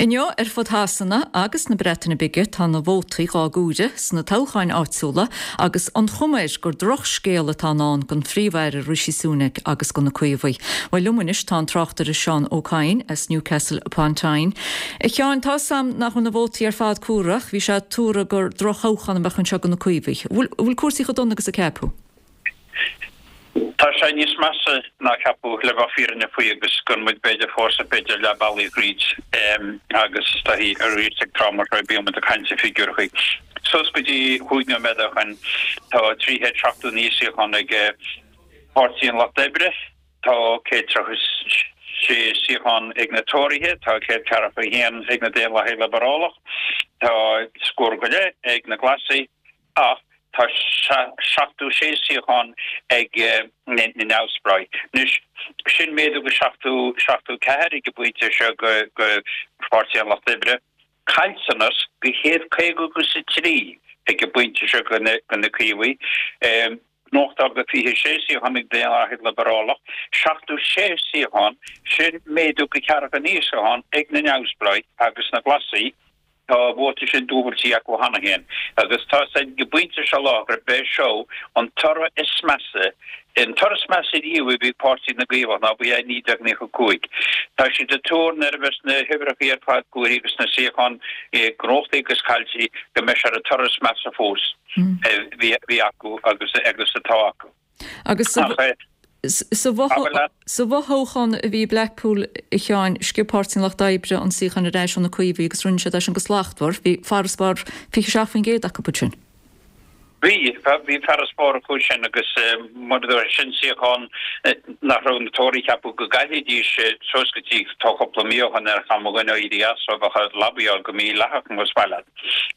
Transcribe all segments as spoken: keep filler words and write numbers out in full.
Inniu ar fud Shasana agus na Breataine Bige tá na vótaí á gcomhaireamh sna toghcháin áitiúla agus an chuma air gur drochscéal atá i ndán don Phríomh-Aire Rishi Sunak agus do na Caomhaigh. Well liom anois tá an tráchtaire Seán Ó Cadhain as Newcastle upon Tyne. A Sheáin tá sam nach na vótaí ar fad curach, bhí sé tuartha gur drochthoghchán a bheadh anseo do na Caomhaigh. Bhfuil cúrsaí chomh dona agus a ceapadh? Tá sé níos measa ná ceapadh le bheith fírinneach faoi agus go muid b'fhéidir fós b'fhéidir leath bealaigh thríd agus tá arís ag tráth mar seo bíonn muid ag caint i figiúireacha. Suas go dtí chúig nóiméad ó shin tá trí chéad seachtó naoi suíochán ag Páirtí an Lucht Oibre, tá céad tríocha sé suíochán ag na Tóraithe, tá céad ceathracha haon ag na Daonlathaigh Liobrálach, tá scór go leith ag na Glasaigh ach tá seachtó sé suíochán ag na neamhspleáigh. Anois sin méadú go seachtó seachtó ceathair ag an bpointe seo go go Páirtí an Lucht Oibre. Caillteanas go céad caoga agus a trí ag an bpointe seo go na go na Caomhaigh. Gnóthachtáil go fiche sé suíochán ag Daonlathaigh Liobrálach, seachtó sé suíochán, sin méadú go ceathracha naoi suíochán ag na neamhspleáigh agus na Glasaigh. Tá an vóta sin dúbailte acu cheana féin agus tá sé ag an bpointe seo lá gurb é seo an toradh is measa, an toradh is measa riamh a bhí ag Páirtí na gCaomhach ná ba é naoi déag naocha cúig. Tá siad ag tuar nuair a bheas na huimhreacha ar fad comhairthe agus na suíocháin gnóthaithe agus caillte go mbeidh sé ar an toradh is measa fós a bhí acu agus agus atá acu. Agus sa bhfothoghchán a bhí Blackpool a Sheáin, sciob Páirtí an Lucht Oibre an suíochán ar ais ó na Caomhaigh agus rinne siad é sin go slachtmhar, bhí farasbarr fiche seacht faoin gcéad acu sin. Bhí bhí farasbarr acu sin agus mar sin suíochán nach raibh na Tóraithe ceapadh go gcaillfidís suas go dtí tá cúpla mí ó shin ar cham a dhuine éirí as ó bheadh lobbyáil go mídhleathach más maith leat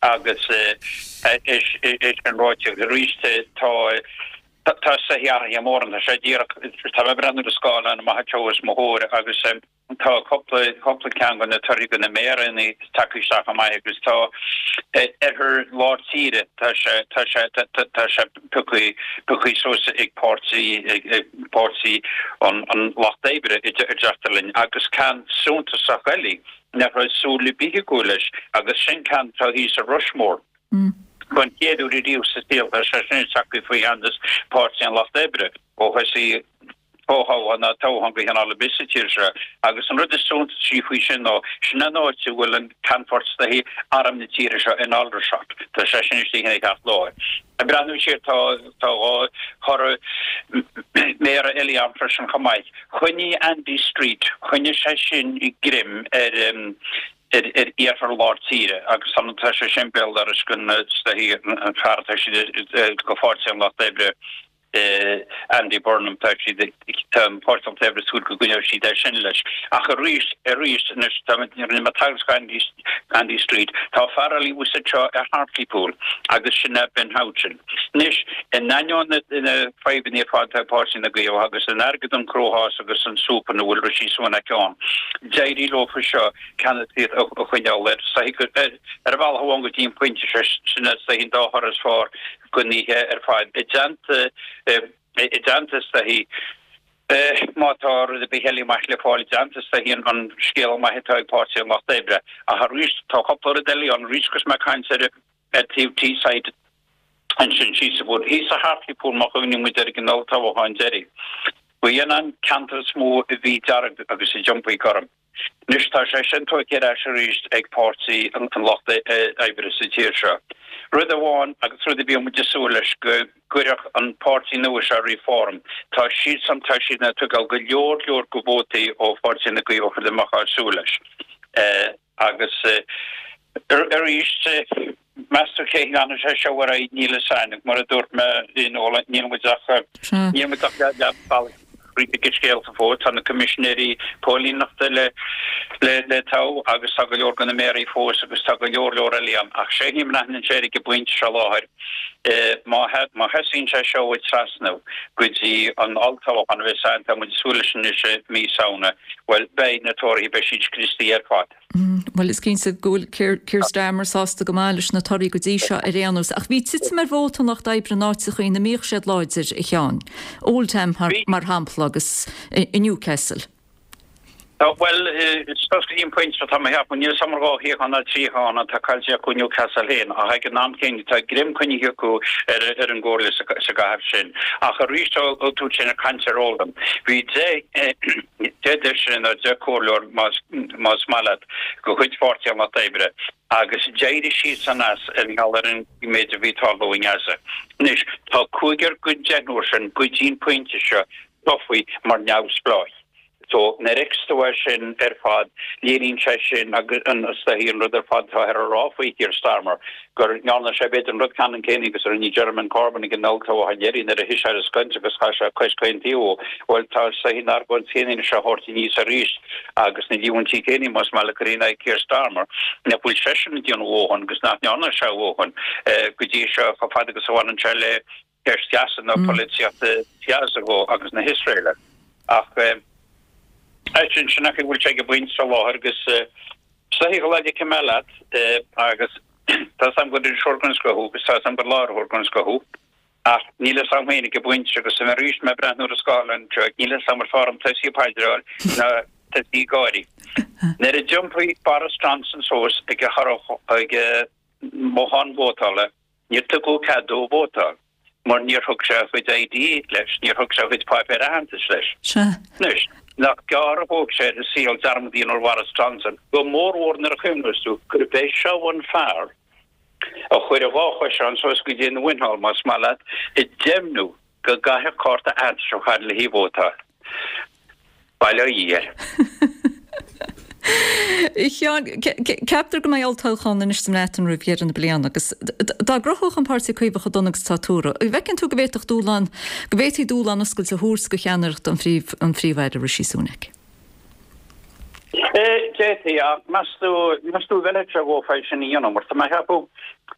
agus é sin ráite arís tá Tá sé athraithe mórán, tá sé díreach, tá mé ag breathnú ar an scáileán amach anseo os mo chomhair agus tá cúpla, cúpla ceann de na torthaí de na méaranna tagtha isteach chomh maith agus tá oirthear lár tíre, tá sé, tá sé, tá sé pioctha, pioctha suas ag páirtí, ag páirtí an, an Lucht Oibre a deirtear linn agus ceann suntasach eile nach raibh súil ar bith acu leis agus sin ceann atá thíos i Rushmoor. Don chéad uair riamh sa saol tá sé sin tagtha faoi cheannas Páirtí an Lucht Oibre ó thosaigh fothoghchán ná toghchán de chineál ar bith sa tír seo agus an rud is suntasaí faoi sin ná sin an áit a bhfuil an ceannfort de arm na tíre seo in Aldershot. Tá sé sin istigh ina cheart láir. Ag breathnú siar tá tá dhá thoradh méara eile ann freisin chomh maith. Choinnigh Andy Street, choinnigh sé sin greim ar ar ar iarthar lár tíre agus tá sé sin béal dorais don an fear atá siad go Pháirtí an Lucht Oibre Andy Burnham tá siad tá an Páirtí an Lucht Oibre súil go gcoinneoidh siad é sin leis. Ach arís arís anois tá rinne mé tagairt go Andy Andy Street tá fear eile thuas anseo ar Hartlepool agus sin é Ben Houchen. Anois in ainneoin na na fadhbanna ar fad atá ag Páirtí na gCaomhach agus an airgead an cruachás agus an súp ina bhfuil Rishi Sunak ann d'éirigh leofa seo ceannasaíocht a choinneáil air. Ar bhealach amháin go dtí an pointe seo, sin é an dá thoradh is fearr den oíche ar fad. I dteannta, i dteannta is dóichí, má tá rud ar bith eile maith le fáil i dteannta is dóichí an scéal maith atá ag Páirtí an Lucht Oibre. Ach arís, tá cúpla rud eile ann arís agus mé ag caint ar ar taobh Teesside ansin síos sa bhfuair. Thíos i Hartlepool má chuimhníonn muid ar an olltoghchán deiridh. Ba in an ceantar is mó a bhí dearg agus a d'iompaigh gorm. Anois tá sé sin tógtha ar ais arís ag Páirtí an Lucht Oibre sa tír seo. Rud amháin agus rud a bhí muid ag súil leis go gcuirfeadh an páirtí nua seo Reform, tá siadsan, tá siad ag tógáil go leor leor de vótaí ó Pháirtí na gCaomhach rud a mbeifeá ag súil leis. Agus arís, meas tú cé leanfaidh sé seo ar aghaidh níl fhios a'inn, mar a dúirt mé níl muid ach níl muid ach leath bealaigh thríd an scéal fós. Tá na coimisinéirí póilíneachta le le le toghadh agus tá go leor de na méaraí fós agus tá go leor leor eile ann. Ach sé a mbraitheann sé ar ag an bpointe seo láthair má má sheasann sé seo ag trasnú go dtí an olltoghchán a bheas ann, tá muid ag súil leis anois i mí Samhna, bhuel beidh na Tóraithe, beidh siad scriosta ar fad. Bhuel, is cinnte go bhfuil Keir, Keir Starmer sásta go maith leis na torthaí go dtí seo ar aon nós. Ach bhí titim ar vóta an Lucht Oibre in áiteacha ina mbíodh siad láidir, a Sheáin. Oldham, mar, mar shampla, agus i Newcastle. Bhuel, suas go dtí an pointe seo tá mé a cheapadh, níl 'fhios a'm ar dhá shuíochán ná trí shuíochán atá caillte acu i Newcastle féin, ach ag an am céanna tá greim coinnithe acu ar ar an gcomhairle sa gcathair sin. Ach arís ó tú sin ag caint ar Oldham, bhí deich deich deisire nó deich comhairleoir más más maith leat de chuid Pháirtí an Lucht Oibre agus d'éirigh siadsan as ar gheall ar an méid a bhí ag tarlú i nGaza. Anois, tá cúigear den deichniúr sin go dtí an pointe seo tofa mar neamhspleách. So, nuair a fheiceas tú é sin ar fad, léiríonn sé sin agus an is dóichí an rud ar fad atá ar a rá faoi Keir Starmer, go ndearna sé b'fhéidir an rud ceannann céanna agus a rinne Jeremy Corbyn ag an olltoghchán dheiridh nuair a thit sé ar an scoilt agus chaith sé cois chaon taobh. Bhuel, tá is dóichí an argóint chéanna anois á thabhairt aníos arís agus na líomhaintí céanna, más maith leat, curtha in aghaidh Keir Starmer, nach bhfuil seisean ag déanamh a dhóthain agus nach ndearna sé a dhóthain go dtí seo chomh fada agus a bhaineann sé le ceist Ghaza nó polaitíocht Ghaza agus na hIosraeile. Ach sin sin nach bhfuil sé ag an bpointe seo láthair agus is dóichí go leid cim leat agus tá 'fhios a'm gur iriseoir den scoth thú agus tá 'fhios a'm gur láithreoir den scoth thú ach níl 'fhios a'm féin ag an bpointe agus arís mé ag breathnú ar an scáileán anseo níl 'fhios a'm ar fearr dom tosaí ag paidreáil ná tosaí ag gáirí. Nuair a d'iompaigh Boris Johnson suas ag a ag a mbothán vótála níor tugadh cead dó vótáil mar níor thug sé a chuid ID leis, níor thug sé a chuid páipéir aitheantais leis. Sea. Anois, nach gearr a thóg sé ar an saol dearmad a dhéanamh ar Bhoris Johnson, go mórmhór nuair a chuimhneos tú gurb é seo an fear a chuir a dhá choiseán suas go dtí an mhuineál, más maith leat, ag deimhniú go gcaithfeadh cárta aitheantais a chur le haghaidh vótáil. Bail ó Dhia air. A Sheáin, ceaptar go mbeidh olltoghchán anois sa mBreatain roimh dheireadh na bliana agus dá gcruthódh an Páirtí Caomhach chomh dona agus atá tuartha, an bhfeiceann tú go bhféadfadh dúshlán, go bhféadfaí dúshlán oscailte a thabhairt do cheannaireacht an Phríomh-Aire Rishi Sunak? D'fhéadfaí, ach meas tú, meas tú an bhfeilfeadh sé dhófa é sin a dhéanamh mar tá mé a cheapadh,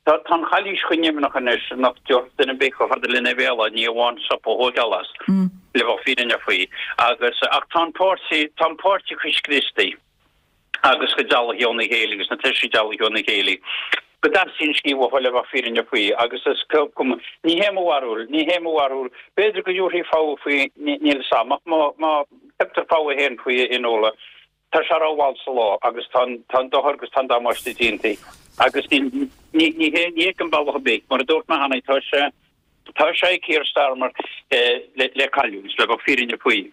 tá an chalaois chomh nimhneach anois nach dtiocfadh duine ar bith chomh fada lena bhéal ní amháin sop a thógáil as, le bheith fírinneach faoi. Agus, ach tá an páirtí, tá an páirtí chomh scriosta agus chomh dealaithe óna chéile agus na taoisigh dealaithe óna chéile go dteastaíonn scíth uathu le bheith fírinneach faoi agus is cuma, ní hé mo bharúil, ní hé mo bharúil, b'fhéidir go dtabharfaí fogha faoi, níl 'fhios a'm, ach má, má thugtar fogha féin faoi a Fhionnuala, tá sé rómhall sa lá agus tá an, tá an dochar agus tá an damáiste déanta agus ní, ní, ní hé, ní fheicim bealach ar bith, mar a dúirt mé cheana, tá sé, tá sé ag Keir Starmer le, le cailliúint, le bheith fírinneach faoi.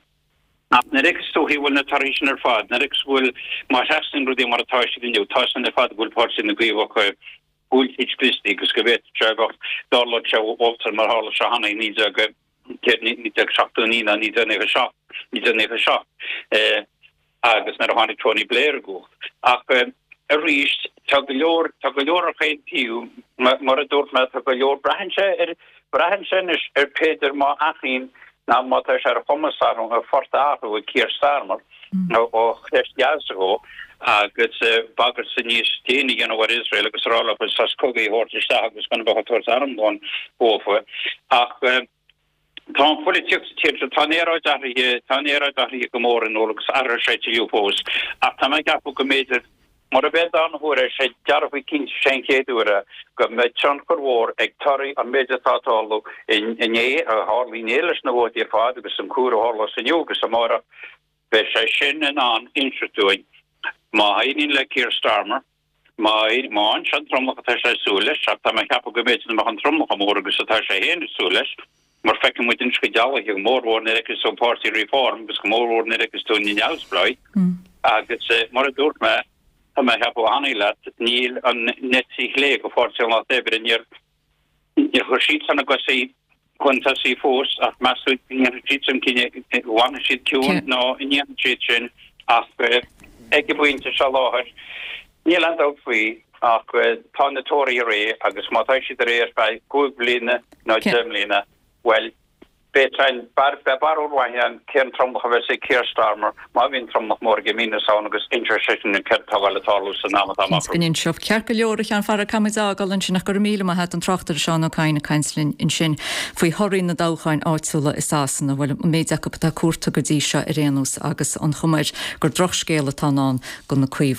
Ach nuair a fheiceas tú go bhfuil na torthaí sin ar fad, nuair a fheiceas go bhfuil, má sheasann rudaí mar atá siad inniu, tá san ar fad go bhfuil Páirtí na gCaomhach, go bhfuil siad scriosta agus go bhféadfadh sé a bheith, dtarlódh sé olltoghchán mar tharla sé cheana i naoi déag, naoi déag seachtó naoi nó naoi déag naocha seacht, naoi déag naocha seacht, agus nuair a tháinig Tony Blair i gcumhacht. Ach arís, tá go leor, tá go leor ar chaon taobh, mar a dúirt mé, tá go leor, braitheann sé ar, braitheann sé anois ar b'fhéidir má athraíonn ná má tá sé ar chumas athrú, a phort a athrú ag Keir Starmer ó cheist Ghaza dhó agus bagairt níos déine a dhéanamh ar Iosrael agus a rá leo sos cogaidh a thabhairt isteach agus gan a bheith ag tabhairt arm don dhófa. Ach tá an pholaitíocht sa tír seo, tá an aeráid athraithe, tá an aeráid athraithe go mór in iúl agus athróidh sé tuilleadh fós. Ach tá mé ag ceapadh go mb'fhéidir Murab é an dara huair é, sé dearfa cinnte sé an chéad uair é go mbeidh tionchar mhór ag torthaí an méid atá ag tarlú inné, a tharla inné leis na vótaí ar fad agus an cúr a tharlós inniu agus amárach. Beidh sé sin in ann inseacht dúinn má éiríonn le Keir Starmer, má fhaigheann sé an tromlach atá sé ag súil leis, ach tá mé ag ceapadh go mb'fhéidir nach mbeadh an tromlach chomh mór agus atá sé féin ag súil leis, mar feiceann muid anois chomh dealaithe, go mórmhór nuair a fheiceas tú an páirtí Reform agus go mórmhór nuair a fheiceas tú na neamhspleáigh agus mar a dúirt mé, tá mé ag ceapadh cheana leat, níl an eite chlé de Pháirtí an Lucht Oibre, níor níor chuir siadsan a gcosa chun tosaigh fós ach meas tú an ndéanfaidh siadsan cinneadh, an bhfanfaidh siad ciúin nó an ndéanfaidh siad sin ach ag an bpointe seo láthair níl aon dabht faoi ach tá na Tóraithe réidh agus má tá siad réidh ar feadh cúig bliana nó deich mbliana, bhuel, beidh beidh barúil mhaith ann cén tromlach a bheas ag Keir Starmer má bhíonn tromlach mór aige i mí na Samhna agus inseoidh sé sin céard atá ag gabháil a tarlú san am atá amach Cinnte go n-inseoidh. Ceart go leor, a Sheáin Pharaic, caithfidh muid a fhágáil ansin ach go raibh míle maith a't, an tráchtaire Seán Ó Cadhain ag caint linn ansin faoi thorthaí na dtoghcháin áitiúla i Sasana, bhuel, an méid acu atá cuarta go dtí seo ar aon nós agus an chuma air gur drochscéal atá i ndán do na Caomhaigh.